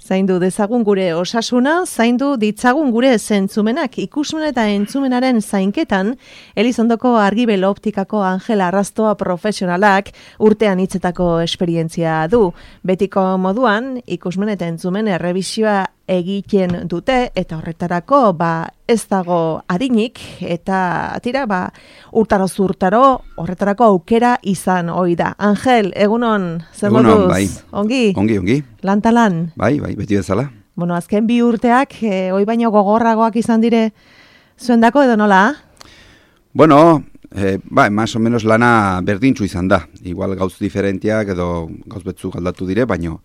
Zaindu dezagun gure osasuna, zaindu ditzagun gure zentzumenak. Ikusmen eta entzumenaren zainketan, Elizondoko Argibel Optikako Angel Arrastoa profesionalak urtean hitzetako esperientzia du. Betiko moduan, ikusmen eta entzumen errebisioa egiten dute, eta horretarako ez dago adinik, eta urtaro zurtaro horretarako aukera izan ohi da. Angel, egunon, zer moduz? Bai. Ongi? Ongi. Lantalan? Bai, beti bezala. Bueno, azken 2 urteak, hoi baino gogorragoak izan dire zuendako edo nola? Bueno, más o menos lana berdintzu izan da. Igual gauz diferentiak edo gauz betzuk aldatu dire, baina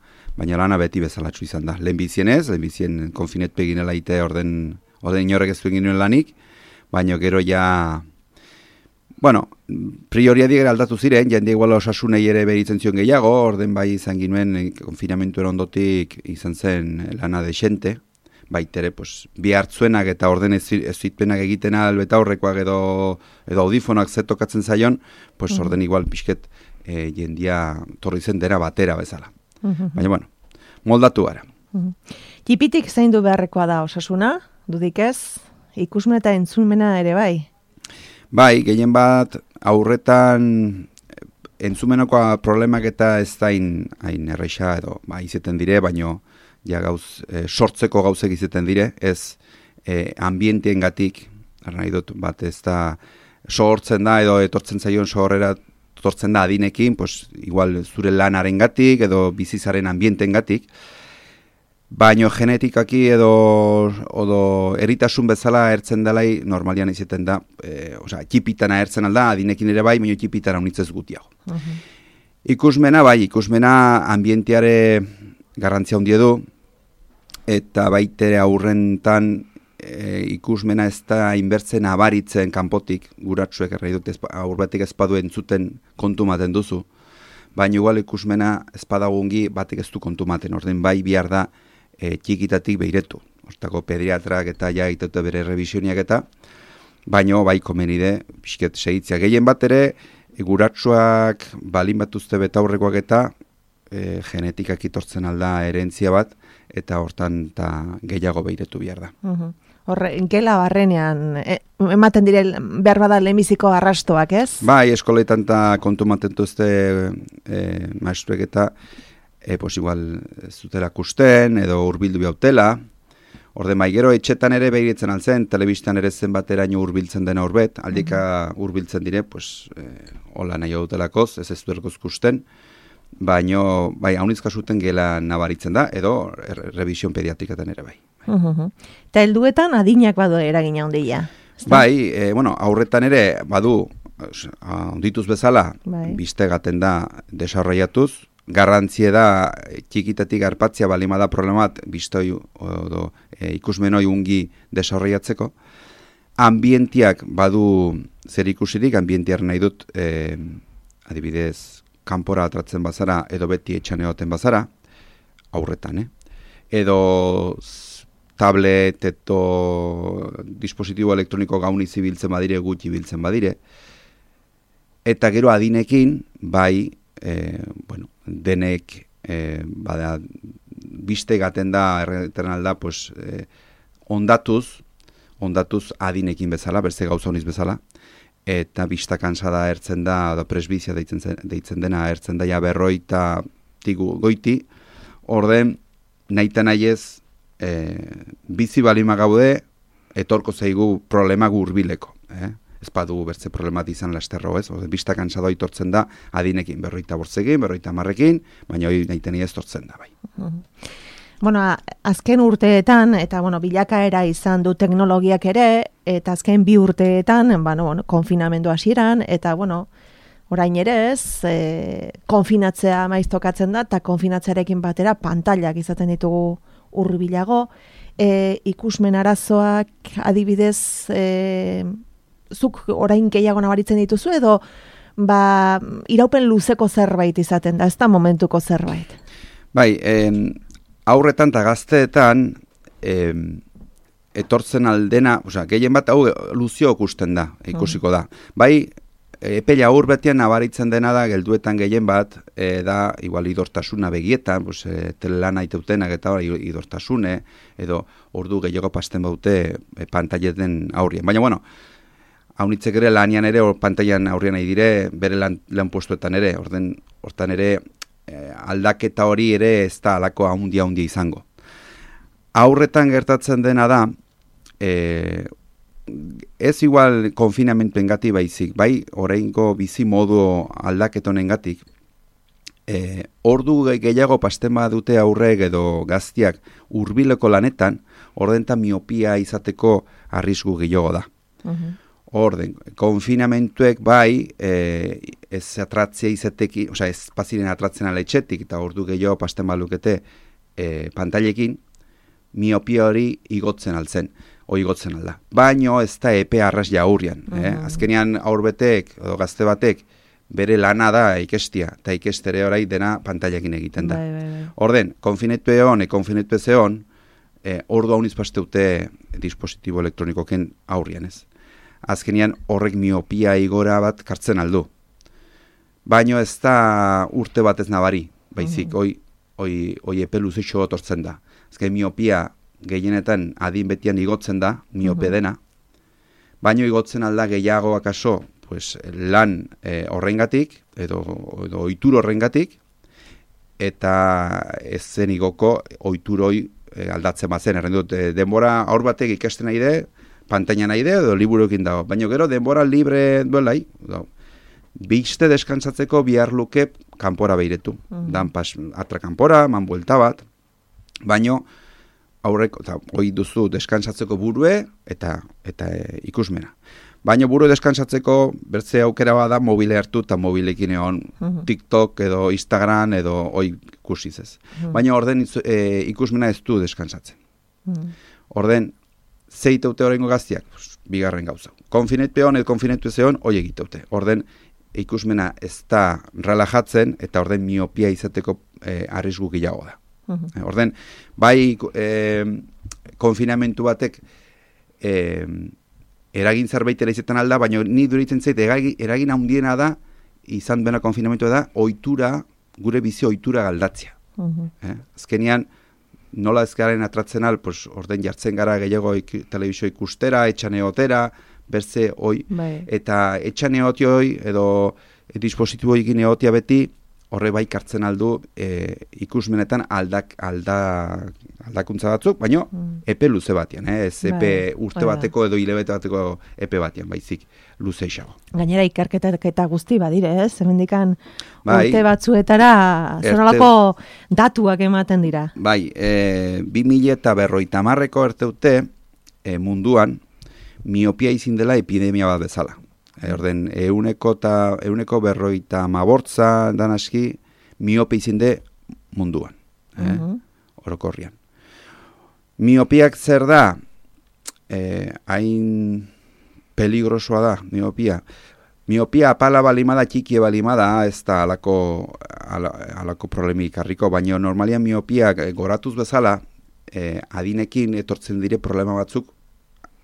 lana beti bezalatzu izan da. Lehenbizien konfinet peginela ite orden inorrek ez egin lanik, baina gero ja, bueno, prioriadik aldatu ziren, jende igual osasunei ere beritzen zion gehiago, orden bai izan ginuen konfinamentu ondotik izan zen lana desente, baitere, bi hartzuenak eta orden ez zitpenak egiten albeta horrekoak edo audifonak zetokatzen zaion, orden igual pixket jendia torri zen dera batera bezala. Baina, bueno, moldatu gara. Tipitik zein du beharrekoa da osasuna, dudik ez? Ikusmen eta entzumena ere bai? Bai, gehien bat aurretan entzumenoko problemak eta ez da hain erreixa edo izeten dire, baino ja sortzeko gauzek izeten dire, ez ambientiengatik, nahi dut bat ez da sortzen da edo etortzen zaion sorrera etortzen da adinekin, igual zure lanarengatik edo bizizaren ambientengatik, baino genetikaki edo eritasun bezala ertzen dalai normalian izeten da, txipitana ertzen alda, adinekin ere bai, baino txipitana unitzez gutiago. Ikusmena ambientiare garrantzia handie du, eta baitere aurrentan ikusmena ez da inbertzen abaritzen kanpotik, guratsuek errai dut aurretik ezpadu entzuten kontu maten duzu, baina igual ikusmena ezpadagungi batek ez du kontu maten, orden bai bihar da txikitatik behiretu. Hortako pediatrak eta ja egitute bere revisioniak eta, baina bai komenide pixket segitzea. Gehien bat ere, guratsuak balin batuzte betaurrekoak eta genetikak itortzen alda herentzia bat, eta hortan gehiago behiretu behar da. Horre, gela barrenean, ematen dire behar bada lehenbiziko arrastoak, ez? Bai, eskoletan eta kontu matentuzte maestruek eta igual zutela kusten edo urbildu bihautela. Orde gero etxetan ere behiritzen altzen, telebistan ere zenbateraino urbiltzen dena urbet, aldika urbiltzen dire, hola nahi dutelakoz, ez duerkoz kusten, baina bai, haunizka zuten gela nabaritzen da, edo revision pediatrikaten ere bai. Eta helduetan adinak badu eragina handia. Bai, aurretan ere badu, ondituz bezala, biztegaten da desarroiatuz, garrantzie da txikitatik arpatzia balimada problemat biztoi edo ikusmenoi ungi desarroiatzeko. Ambientiak badu zer ikusirik, ambientiar nahi dut, adibidez, kanpora atratzen bazara edo beti etxan egoten bazara, aurretan, edo tablet edo dispositibo elektroniko gauni zibiltzen badire, gutxi biltzen badire, eta gero adinekin, bai, denek biste gaten da, erretan alda, ondatuz adinekin bezala, berze gauza honiz bezala, eta bista kansada ertzen da, presbizia deitzen dena, ertzen da ja berroita goiti, orden, nahita nahiez, bizi balima gaude, etorko zaigu problema hurbileko. Ez badugu bertze problemat izan lasterro, ez? Bista kansada itortzen da, adinekin, 45, 50, baina hori nahita nahiez tortzen da, bai. Bueno, azken urteetan, eta bilakaera izan du teknologiak ere, eta azken 2 urteetan, konfinamendu hasieran, eta orain ere ez, konfinatzea maiz tokatzen da, eta konfinatzearekin batera pantailak izaten ditugu hurbilago, ikusmen arazoak adibidez, zuk orain gehiago nabaritzen dituzu, edo iraupen luzeko zerbait izaten da, ez da momentuko zerbait? Bai, aurretan eta gazteetan etortzen aldena, gehien bat hau luzio ikusten da, ikusiko da. Bai, epe aur betian nabaritzen dena da, gelduetan gehien bat, da, igual idortasuna begietan, pues, telelana iteutenak eta idortasune, edo ordu gehiago pasten baute pantaileten aurrien. Baina, bueno, haunitzek ere lanian ere, pantailan aurrian nahi dire, bere lan postuetan ere, hortan ere, aldaketa hori ere ez da alako handia izango. Aurretan gertatzen dena da, ez igual konfinamentu engati baizik, bai oraingo bizi modu aldaketonen gatik, ordu gehiago pasten badute aurrek edo gaztiak hurbileko lanetan, ordenta miopia izateko arrisku gehiago da. Orden, konfinamentuek bai, ez atratzea izatekin, osea ez paziren atratzen ala etxetik, eta ordu gehiago pasten balukete pantailekin, miopia hori igotzen altzen. Igotzen alda. Baino ez da epe arras jaurrian. Azkenean aurbetek edo gazte batek bere lana da ikestia, eta ikestere orai dena pantailekin egiten da. Orden, konfinetu ezeon, ordu hauniz pasteute dispositibo elektronikoken aurrian ez. Azkenean horrek miopia igora bat kartzen aldu. Baino ez da urte bat ez nabari, baizik, hoi epe luzeixo otortzen da. Azken miopia gehienetan adin betian igotzen da, miope dena, baino igotzen alda gehiago akaso, pues, lan horrengatik, edo ohitur horrengatik, eta ez zen igoko ohituroi aldatzen bazen. Errendut, denbora aur batek ikasten nahi de, pantaina nahi de, edo liburuekin dago. Baina gero, denbora libre duelai, biste deskantzatzeko bihar luke kanpora behiretu. Dan pas atra kanpora, man buelta bat, baino, aurreko, eta hoi duzu deskantzatzeko burue eta ikusmena. Baina burue deskantzatzeko bertze aukera bada mobile hartu eta mobilekin egon TikTok edo Instagram edo hoi ikusiz ez. Baina orden ikusmena ez du deskantzatzen. Orden, zeiteute horrengo gaztiak, bigarren gauza. Konfinetpeon edo konfinetu ezeon, hoi egiteute. Orden, ikusmena ez da relajatzen eta orden miopia izateko arrisku gehiago da. Orden, bai konfinamentu batek eragin zerbaitera izetan alda, baina ni duritzen zait eragin handiena da, izan bena konfinamentua da, gure bizi ohitura galdatzea. Azkenean, nola ezkaren atratzen al, pues, orden jartzen gara gehiago telebizio ikustera, etxan eotera, berze hoi, eta etxan eotioi edo dispositibo egin eotia beti, horre bai kartzen aldu ikusmenetan aldakuntza batzuk, baina epe luze batian, ez epe urte bateko edo hilabete bateko epe batian, baizik luze isago. Gainera ikerketak eta guzti badire, ez? Hemendikan urte batzuetara zonolako datuak ematen dira. Bai, 2050ko erteute munduan miopia izin dela epidemia bat bezala. Orden, euneko 50 dan aski miope izinde munduan. Orokorrian. Miopiak zer da? Hain peligrosoa da, miopia. Miopia apala balimada, txikie balimada, ez da alako problemik harriko, baina normalian miopiak goratuz bezala, adinekin etortzen dire problema batzuk,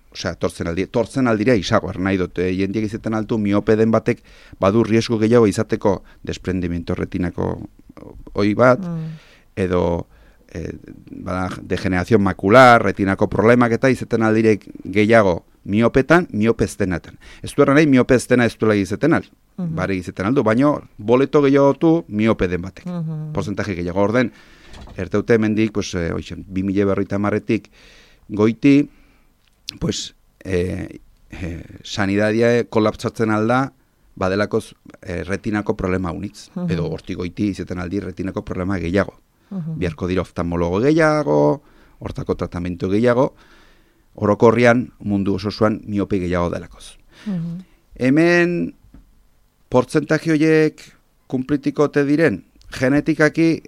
osea, tortzen aldira isago, nahi dut, jendiek izaten altu, miope den batek badu riesgo gehiago izateko desprendimiento retinako hoi bat, edo degeneración macular, retinako problemak eta izaten aldirek gehiago miopetan, miopeztenetan. Ez du nahi miopeztena ez duela izaten al, bare izaten aldu, baina boleto gehiago du miope den batek, porcentaje gehiago. Orden, erteute hemendik, pues, 2050etik goiti, pues, sanidadia kolapsatzen alda, badelakoz retinako problema unitz, edo hortigoiti izaten aldi retinako problema gehiago. Biarko dira oftalmologo gehiago, hortako tratamentu gehiago, orokorrian mundu ososuan miope gehiago delakoz. Hemen, portzentaje horiek kumplitiko te diren, genetikaki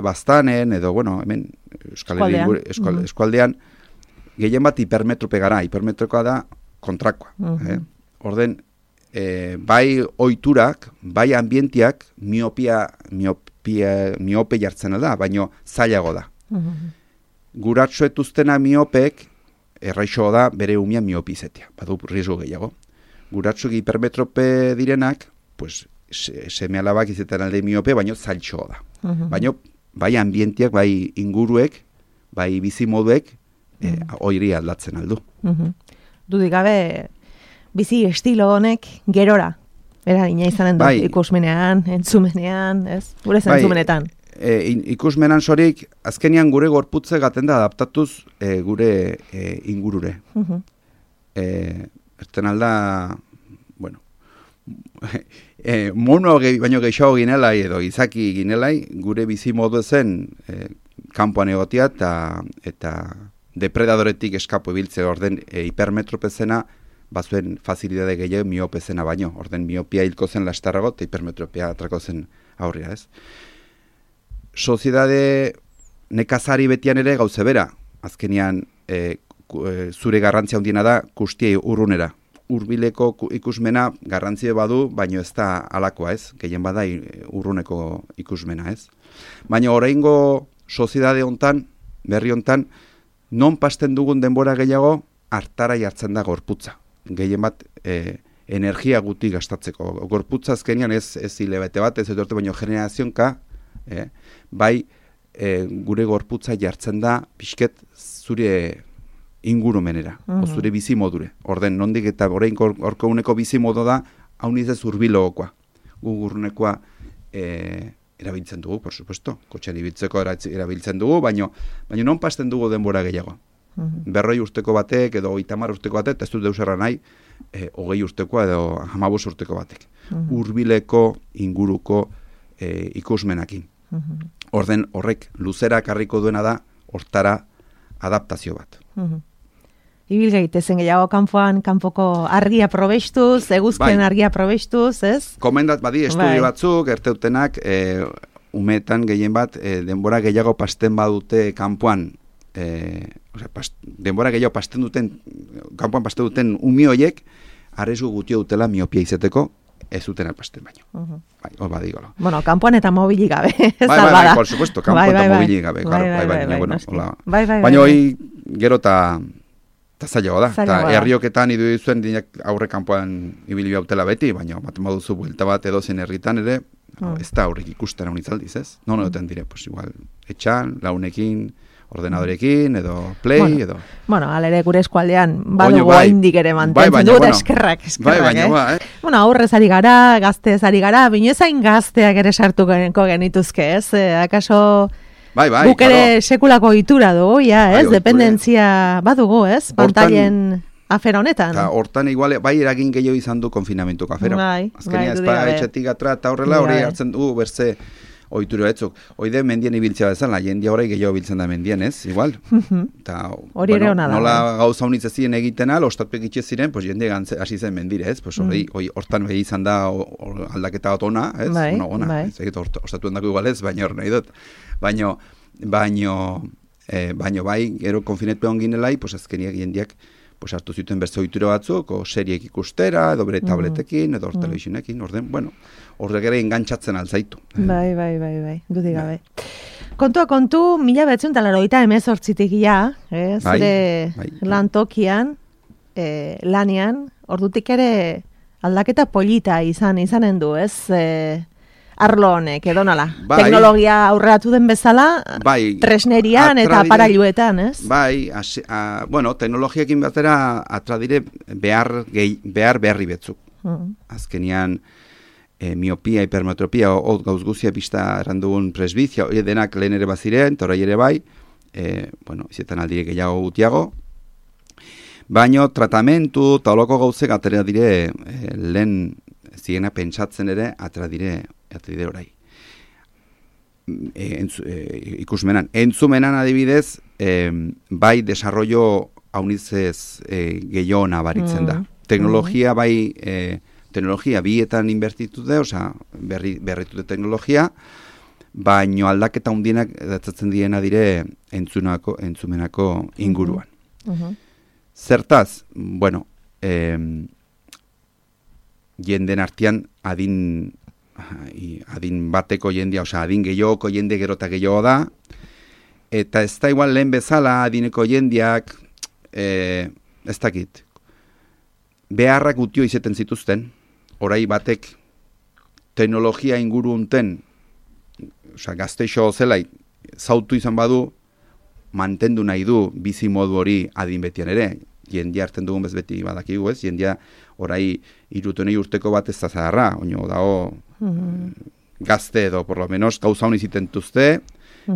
bastanen, edo, bueno, hemen eskualdean, gehien bat hipermetrope gara, hipermetrokoa da kontrakoa. Orden, bai oiturak, bai ambientiak miope jartzen da, baino zailago da. Guratxoetuztena miopek, erraixo da bere umia miopizetia, badu riesgo gehiago. guratsuk hipermetrope direnak, pues, seme alabak izetan alde miope, baino zailtxoa da. Baino, bai ambientiak, bai inguruek, bai bizimoduek, oiri aldatzen aldu. Dudik gabe, bizi estilo honek gerora, eragina izanen du, ikusmenean, entzumenean, ez? Gure zentzumenetan. Ikusmenan sorik, azkenian gure gorputze gaten da adaptatuz gure ingurure. Erten alda, bueno, mono baino gehiago ginelai edo izaki ginelai, gure bizi modu zen kanpoan egotia eta depredadoretik eskapo ebiltze orden hipermetropezena bazuen facilidade gehiago miopezena baino. Orden miopia hilko zen lastarrago eta hipermetropia atrako zen aurria, ez? Soziedade nekazari betian ere gauze bera. Azkenian zure garrantzia handiena da kustiei urrunera. Hurbileko ikusmena garrantzia badu, baino ez da alakoa, ez? Gehien bada urruneko ikusmena, ez? Baina oraingo soziedade hontan, berri hontan, non pasten dugun denbora gehiago hartara jartzen da gorputza. Gehien bat energia guti gastatzeko. Gorputza azkenian ez hilabete bat, ez etorte baino generazionka, bai gure gorputza jartzen da pixket zure ingurumenera, zure bizimodure. Orden, nondik eta orain orko uneko bizimodo da, hau nizez urbilogokoa. Gugurnekoa erabiltzen dugu, por supuesto. Kotxean ibiltzeko erabiltzen dugu, baino non pasten dugu denbora gehiago. 40 urteko batek edo 30 urteko batek, ez dut deusarra nahi, 20 urtekoa edo 15 urteko batek. Hurbileko inguruko ikusmenakin. Orden horrek luzera karriko duena da hortara adaptazio bat. Ibil gaitezen gehiago kanpoko argia probestuz, eguzken argia probestuz, ez? Komendat badi estudio batzuk, erteutenak, umetan gehien bat, denbora gehiago pasten badute kanpoan, denbora gehiago pasten duten, kanpoan pasten duten umioiek, arrezu gutio dutela miopia izeteko, ez duten alpasten baino. Hor badigolo. Bueno, kanpoan eta mobili gabe. Bai, por supuesto, kanpoan eta mobili gabe. Baina hoi gero eta zailago da. Eta herrioketan idu zuen dinak aurre kanpoan ibili bautela beti, baina bat moduzu buelta bat edo zen herritan ere, ez da aurrik ikusten hau nitzaldiz, ez? Non egoten dire, pues igual, etxan, launekin, ordenadorekin, edo play, edo... Bueno, alere gure eskualdean, badugu haindik ere mantentzen dut, eskerrak. Bueno, aurrez ari gara, gaztez ari gara, binoezain gazteak ere sartuko genituzke, ez? Akaso guk ere sekulako itura dugu, ez? Dependentzia badugu, ez? Pantailen afera honetan. Hortan igual, bai eragin gehiago izan du konfinamentuko afera. Azkenia ezpada etxetik atra eta horrela hori hartzen dugu berze ohitura batzuk. Oide mendien ibiltzea bezala, jendia horrei gehiago biltzen da mendien, ez? Igual. Hori ere hona da. Nola gauza honitz ez ziren egiten al, ostatpek itxe ziren, pues jende hasi zen mendire, ez? Pues hortan behi izan da aldaketa bat ona, ez? Ona, ez egit ostatuen dako igual ez, baina hor nahi dut. Baina bai, gero konfinetu egon ginelai, pues azkeniak jendiak pues hartu zuten beste ohitura batzuk, o seriek ikustera, edo bere tabletekin, edo telebisionekin, orden, bueno, horrek ere engantzatzen altzaitu. Bai, dudik gabe. Kontu, 1988 ja, zure lantokian, lanian, ordutik ere aldaketa polita izanen du, ez? Arlo honek, edo nola? Teknologia aurreratu den bezala, tresnerian eta aparailuetan, ez? Bueno, teknologiakin batera atradire behar berri betzuk. Azkenian, miopia, hipermetropia, gauz guzia pista errandugun presbizia, hori denak lehen ere baziren, torai ere bai, izetan aldire gehiago gutiago, baino tratamentu eta holoko gauzek atera dire lehen ziena pentsatzen ere atera dire orai. Ikusmenan. Entzumenan adibidez, bai desarrollo haunizez gehiago nabaritzen da. Teknologia bai, teknologia bietan inbertitu de, oza, berritute teknologia, baino aldaketa hundienak datzatzen diena dire entzumenako inguruan. Zertaz, bueno, jenden artean adin bateko jendea, oza, adin gehiagoko jende gero eta gehiago da, eta ez da igual lehen bezala adineko jendeak, ez dakit, beharrak gutio izeten zituzten, orai batek teknologia inguru unten, gazteixo zelai, zautu izan badu, mantendu nahi du bizi modu hori adin betian ere, jendia hartzen dugun bez beti badakigu ez, jendia orai 30 urteko bat ez da zaharra, oino dago gazte edo, por lo menos, gauza honi zitentuzte,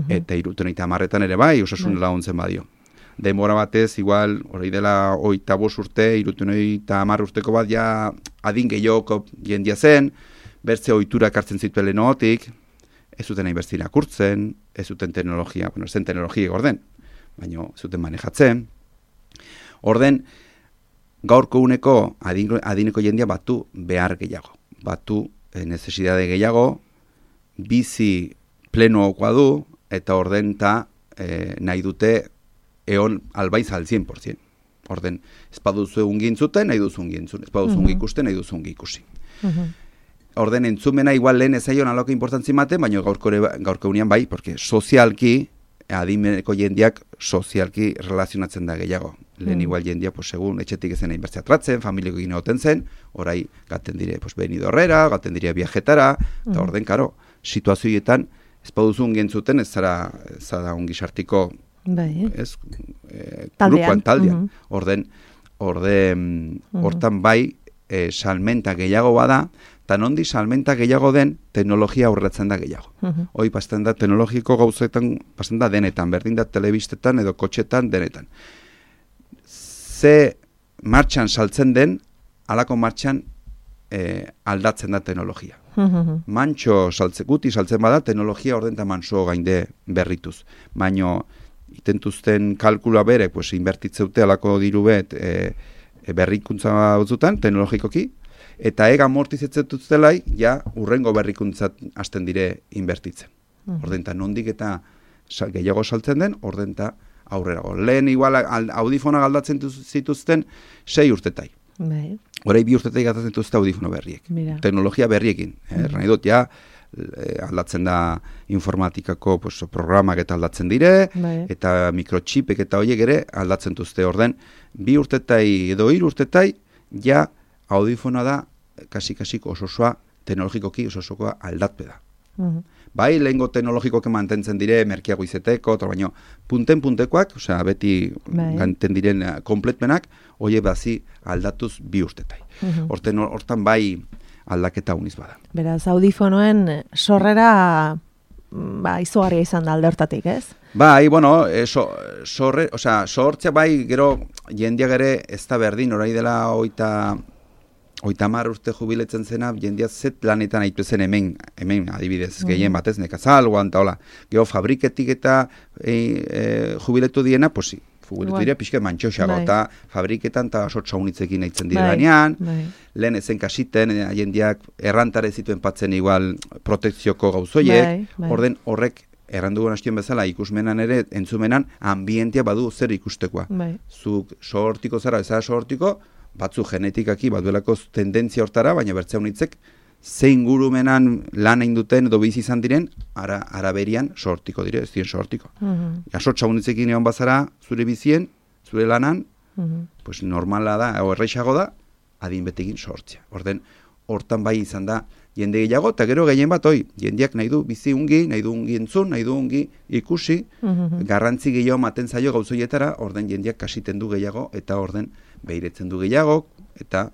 eta 30 ere bai, osasun laguntzen badio. Demora batez, igual, hori dela 25 urte, 30 urteko bat, ja adin gehiago jendia zen, bertze ohiturak hartzen zituen lehenotik, ez zuten nahi bertze irakurtzen, ez zuten teknologia, ez zen teknologia orden, baina ez zuten manejatzen. Orden, gaurko uneko adineko jendia batu behar gehiago, batu necesidade gehiago, bizi plenoakoa du, eta orden nahi dute eon albaiz al 100%. Orden, ez baduzu egun gintzuten, nahi duzu gintzun, ez baduzu ikusten, nahi duzu ikusi. Orden, entzumena igual lehen ezaion aloke importantzi mate, baina gaurko unian bai, porque sozialki, adimeneko jendiak sozialki relazionatzen da gehiago. Lehen igual jendia, pues, segun etxetik ezen egin bertzea tratzen, familiko egin egoten zen, orai gaten dire, pues, benidorrera, gaten dire viajetara, eta orden, karo, situazioetan, ez baduzun gentzuten, ez zara ongi sartiko, grupoan, taldean. Orden, hortan bai, salmenta gehiago bada, eta nondi salmenta gehiago den, teknologia aurratzen da gehiago. Hoi, pasten da, teknologiko gauzetan, pasten da denetan, berdin da telebistetan edo kotxetan denetan. Ze martxan saltzen den, alako martxan aldatzen da teknologia. Mantxo guti saltzen bada, teknologia orden eta manso gainde berrituz. Baina, itentuzten kalkula bere, pues, inbertitzeute alako diru bet berrikuntza batzutan, teknologikoki, eta ega amortizetzetuztelai, ja, urrengo berrikuntzat hasten dire inbertitzen. Ordenta, nondik eta gehiago saltzen den, ordenta aurrerago. Lehen igual audifonak aldatzen zituzten 6 urtetai. Horai 2 urtetai gatatzen dituzte audifono berriek. Teknologia berriekin. Nahi dut, ja, aldatzen da informatikako programak eta aldatzen dire, eta mikrochipek eta horiek ere aldatzen duzte orden. 2 urtetai edo 3 urtetai, ja, audifona da, kasi-kasik ososoa, teknologikoki ososokoa aldatpe da. Bai, lehengo teknologikoke mantentzen dire, merkiago izeteko, baina punten-puntekoak, osea, beti ganten diren kompletmenak, oie bazi aldatuz 2 urtetai. Hortan bai aldaketa uniz bada. Beraz, audifonoen sorrera izugarria izan da aldertatik, ez? Bai, bueno, sortzea bai, gero jendiak ere ez da berdin, orai dela 30 urte jubiletzen zena, jendia zet lanetan aitu zen hemen adibidez, gehien batez, nekazal, guanta, hola. Gero fabriketik eta jubiletu diena, pues, jubiletu dira pixka mantxoxago, eta fabriketan eta sortza unitzekin nahitzen dira danean, lehen ezen kasiten, jendiak errantare zituen patzen igual protekzioko gauzoiek, orden horrek errandugun hastien bezala ikusmenan ere, entzumenan, ambientia badu zer ikustekoa. Zuk sortiko zara, ezara sortiko, batzu genetikaki baduelako tendentzia hortara, baina bertzea unitzek zein gurumenan lan egin duten edo bizi izan diren, araberian sortiko dire, ez dien sortiko. Sortza unitzekin egon bazara, zure bizien, zure lanan, pues normala da, o erreixago da, adin betekin sortzea. Hortan bai izan da, jende gehiago, eta gero gehien bat, jendeak nahi du bizi ungi, nahi du ungi entzun, nahi du ungi ikusi, garrantzi gehiago maten zaio gauzoietara, orden jendeak kasiten du gehiago, eta orden behiretzen du gehiago, eta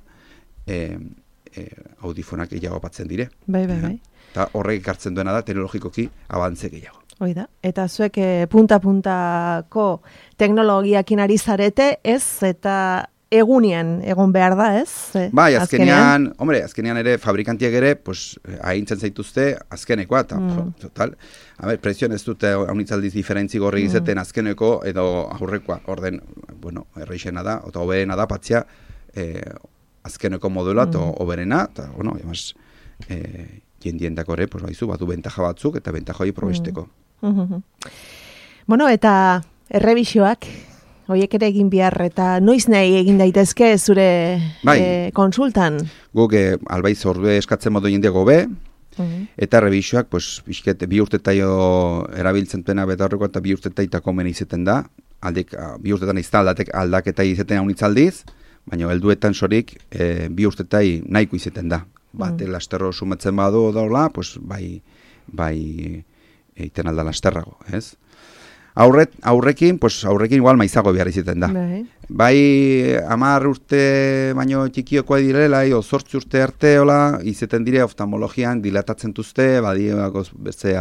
audifonak gehiago batzen dire. Bai. Eta horrek ekartzen duena da, teknologikoki abantze gehiago. Hoi da, eta zuek punta-puntako teknologiakin ari zarete, ez, eta egunien egon behar da, ez? Bai, azkenean ere fabrikantiak ere, pues, ahintzen zaituzte azkenekoa, eta, total, presioan ez dute haunitzaldiz diferentzi gorri izeten azkeneko edo aurrekoa, orden, bueno, erreixena da, eta oberena da, patzia, azkeneko modula, eta oberena, eta, bueno, además, jendiendako ere, pues, baizu, batu bentaja batzuk, eta bentaja hori probesteko. Bueno, eta errebisioak, horiek ere egin behar, eta noiz nahi egin daitezke zure konsultan? Guk albaiz ordue eskatzen modu jendeago be, eta rebisioak, pues, 2 urtetaio erabiltzen duena beta horreko, eta 2 urtetaitako mena izeten da, 2 urtetan izta aldaketa izeten haunitzaldiz, baina helduetan sorik 2 urtetai nahiko izaten da. Bate lasterro sumatzen badu daula, pues bai egiten alda lasterrago, ez? Aurrekin igual maizago behar izaten da. Bai 10 urte baino txikiokoa direla, 8 urte arte izaten dire oftalmologian dilatatzen duzte, beste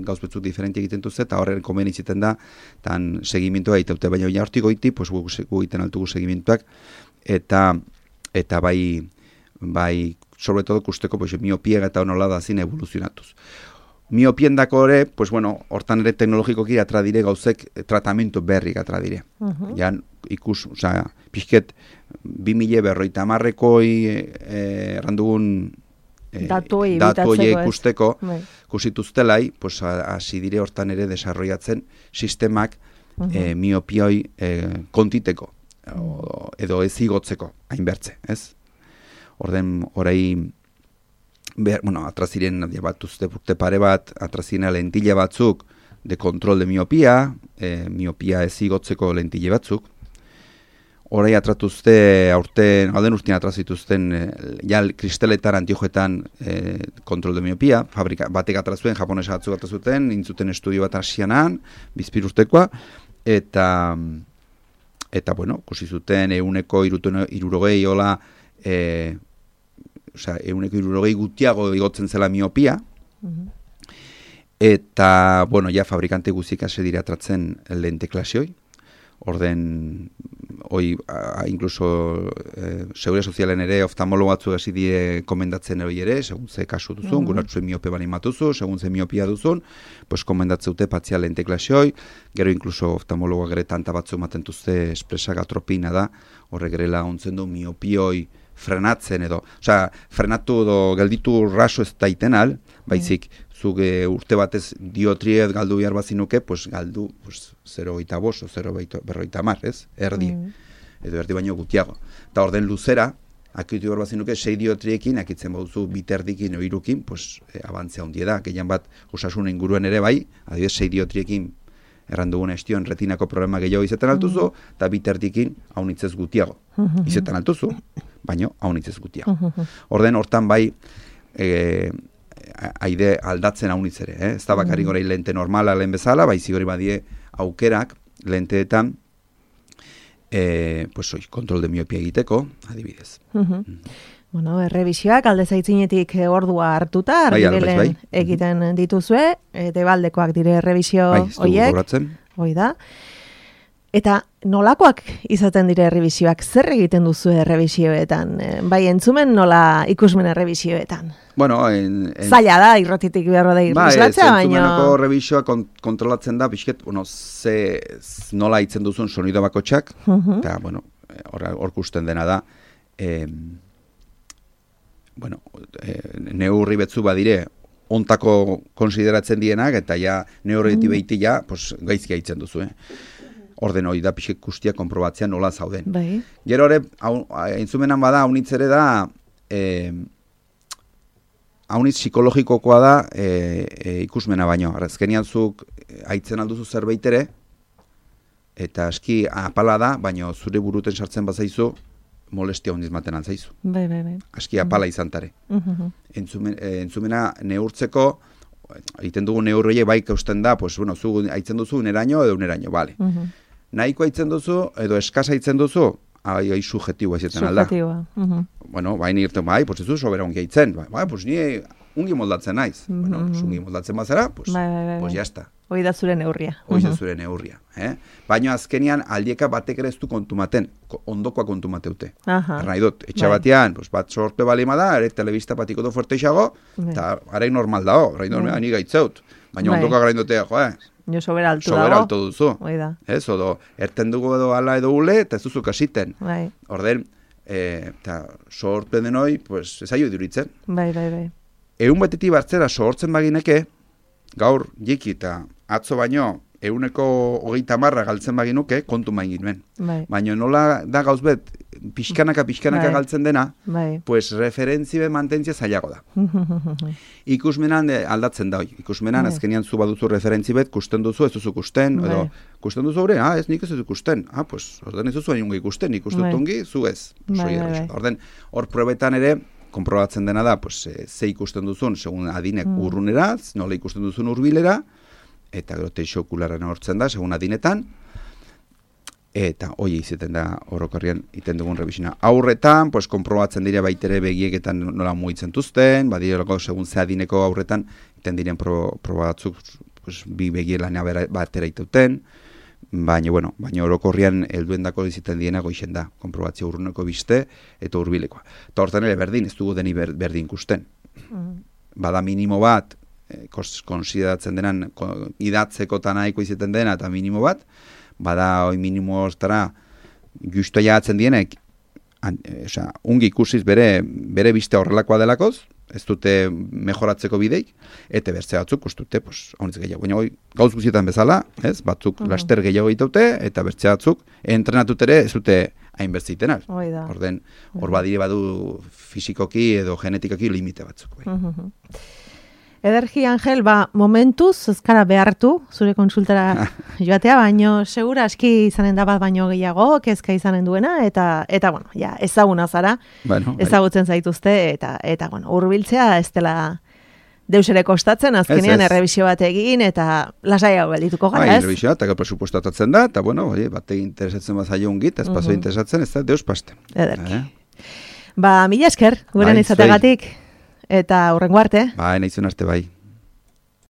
gauz betzuk diferenti egiten duzte, eta horren komen izaten da, tan segimientoa egiteute, baina hortik goiti, pues gu egiten altugu segimientoak, eta bai sobre todo kusteko pues, miopia eta honola da zin evoluzionatuz. Miopien dako ere, pues bueno, hortan ere teknologikoki atra dire gauzek tratamentu berrik atra dire. Jan pixket 2050ekoi errandugun datu ikusteko kusituztelai, pues hasi dire hortan ere desarrollatzen sistemak miopioi kontiteko edo ez igotzeko hainbertze, ez? Orden orai atraziren batuzte urte pare bat, atrazina lentile batzuk de kontrol de miopia, miopia ez igotzeko lentile batzuk. Orai atratuzte alden urtean atrazituzten kristaletan, antiojetan kontrol de miopia, batek atrazuen, japonesa batzuk atrazuten, intzuten estudio bat asianan, bizpir urtekoa, eta bueno, kusi zuten 160 hola, 160 gutiago igotzen zela miopia, eta, bueno, ja fabrikante guzik hasi dira atratzen lente klasioi, orden, incluso Seguridad Sozialen ere oftalmologo batzu hasi dire komendatzen hori ere, segun ze kasu duzun, guratzen miope bali matuzu, segun ze miopia duzun, pues komendatzeute patzia lente klasioi, gero incluso oftalmologoak ere tanta batzu ematen duzte espresak atropina da, horrek gerela ontzen du miopioi frenatzen edo, frenatu edo gelditu raso ez daiten al, baizik, zuge urte batez diotriet galdu behar bazinuke, pues galdu 0,5 o 0,50, ez? Erdi. Edo erdi baino gutiago. Eta orden luzera, akitu behar bazinuke, 6 diotriekin, akitzen bauzu biterdikin o irukin, pues abantzea hundie da. Gehien bat, osasun inguruen ere bai, adibidez 6 diotriekin errandugun estion retinako problema gehiago izetan altuzu, eta biterdikin haunitzez gutiago. Izetan altuzu, baino haunitzez gutiago. Orden hortan bai, haide aldatzen haunitz ere, ez da bakarrik gora lente normala lehen bezala, baizik hori badie aukerak lenteetan kontrol de miopia egiteko, adibidez. Bueno, errebisioak alde zaitzinetik ordua hartuta, argibelen egiten dituzue, debaldekoak dire errebisio horiek, hoi da. Eta nolakoak izaten dire errebisioak, zer egiten duzu errebisioetan? Bai, entzumen nola ikusmen errebisioetan? Bueno, zaila da, irratitik beharro da irrislatzea, baina... Entzumenako errebisioa kontrolatzen da, bizket, nola itzen duzun sonido bakotxak, eta, bueno, hor kusten dena da, neurri betzu badire, ontako konsideratzen dienak, eta ja, neurri behiti ja, gaizkia itzen duzu, orden hori da pixek guztiak konprobatzea nola zauden. Gero hori, entzumenan bada, haunitz ere da, haunitz psikologikokoa da ikusmena baino. Azkenian zuk haitzen alduzu zerbait ere, eta aski apala da, baino zure buruten sartzen bazaizu, molestia hondiz maten antzaizu. Aski apala izantare. Entzumena neurtzeko, egiten dugu neurroiek bai kausten da, zu haitzen duzu uneraino edo uneraino, bale. Nahiko haitzen duzu, edo eskasa haitzen duzu, hai subjetiboa izaten alda. Bueno, bai nirten, bai, ez du sobera ongi haitzen, bai, ni ungi moldatzen naiz. Bueno, ungi moldatzen bazara, jazta. Hoi da zure neurria. Hoi da zure neurria. Baina azkenian aldieka batek ere ez du kontumaten, ondokoa kontumateute. Nahi dut, etxe batean, bat sorpe balima da, ere telebista patiko du fuerteixago, eta arek normal dao, ni gaitzeut. Baina ondokoa graindotea, jo sobera altu dago. Sobera altu duzu. Ez, odo, erten dugu edo ala edo ule, eta ez duzu kasiten. Orden, eta sorpe denoi, ez aio iduritzen. Egun batetik bartzera sortzen bagineke, gaur jiki eta atzo baino, 130 galtzen baginuke, kontu main ginuen. Baina nola da gauz bet, pixkanaka Bai. galtzen dena, Bai. pues referentzibe mantentzia zailago da. Ikusmenan aldatzen da hoi. Ikusmenan Bai. azkenean zu baduzu referentzibet, kusten duzu, ez duzu kusten, edo Bai. kusten duzu hori, ez nik ez dut ikusten. Pues orden ez duzu hain ikusten, ikusten Bai. dungi, zu ez. Bai, bai. Orden, hor probetan ere, konprobatzen dena da, pues, ze ikusten duzun, segun adinek urrunera, nola ikusten duzun hurbilera, eta gero teixo okularren hortzen da, segun adinetan, eta hoi izaten da orokorrian iten dugun revisina. Aurretan, pues, konprobatzen dira baitere begieketan nola mugitzen duzten, badirelako segun ze adineko aurretan iten diren proba batzuk, pues, bi begielana batera itauten, baina orokorrian helduendako izaten diena goixen da, konprobatzio urruneko biste eta hurbilekoa. Eta hortan ere berdin, ez dugu deni berdin ikusten. Bada minimo bat, konsideratzen denan, idatzeko eta nahiko izaten dena eta minimo bat, bada hoi minimo hortara justu jagatzen dienek, ungi ikusiz bere biste horrelakoa delakoz, ez dute mejoratzeko bideik, eta bertze batzuk ustute, honetz gehiago. Baina gauz guztietan bezala, ez? Batzuk laster gehiago egiteute, eta bertze batzuk entrenatut ere ez dute hain bertzitenak. Orden, hor badire badu fisikoki edo genetikoki limite batzuk. Ederki, Angel, momentuz, ezkara behartu, zure konsultara joatea, baino, segura aski izanen da bat baino gehiago, kezka izanen duena, eta bueno, ja, ezaguna zara, ezagutzen zaituzte, eta bueno, hurbiltzea ez dela deus ere kostatzen, azkenean errebisio bat egin, eta lasaiago geldituko gara, ez? Errebisio bat, eta presupuestatatzen da, eta bueno, bat egin interesatzen bat zailo ungit, ez paso interesatzen, ez da deus paste. Ederki. Mila esker, guren izategatik. Eta hurrengo arte. Bai, nahizun arte bai.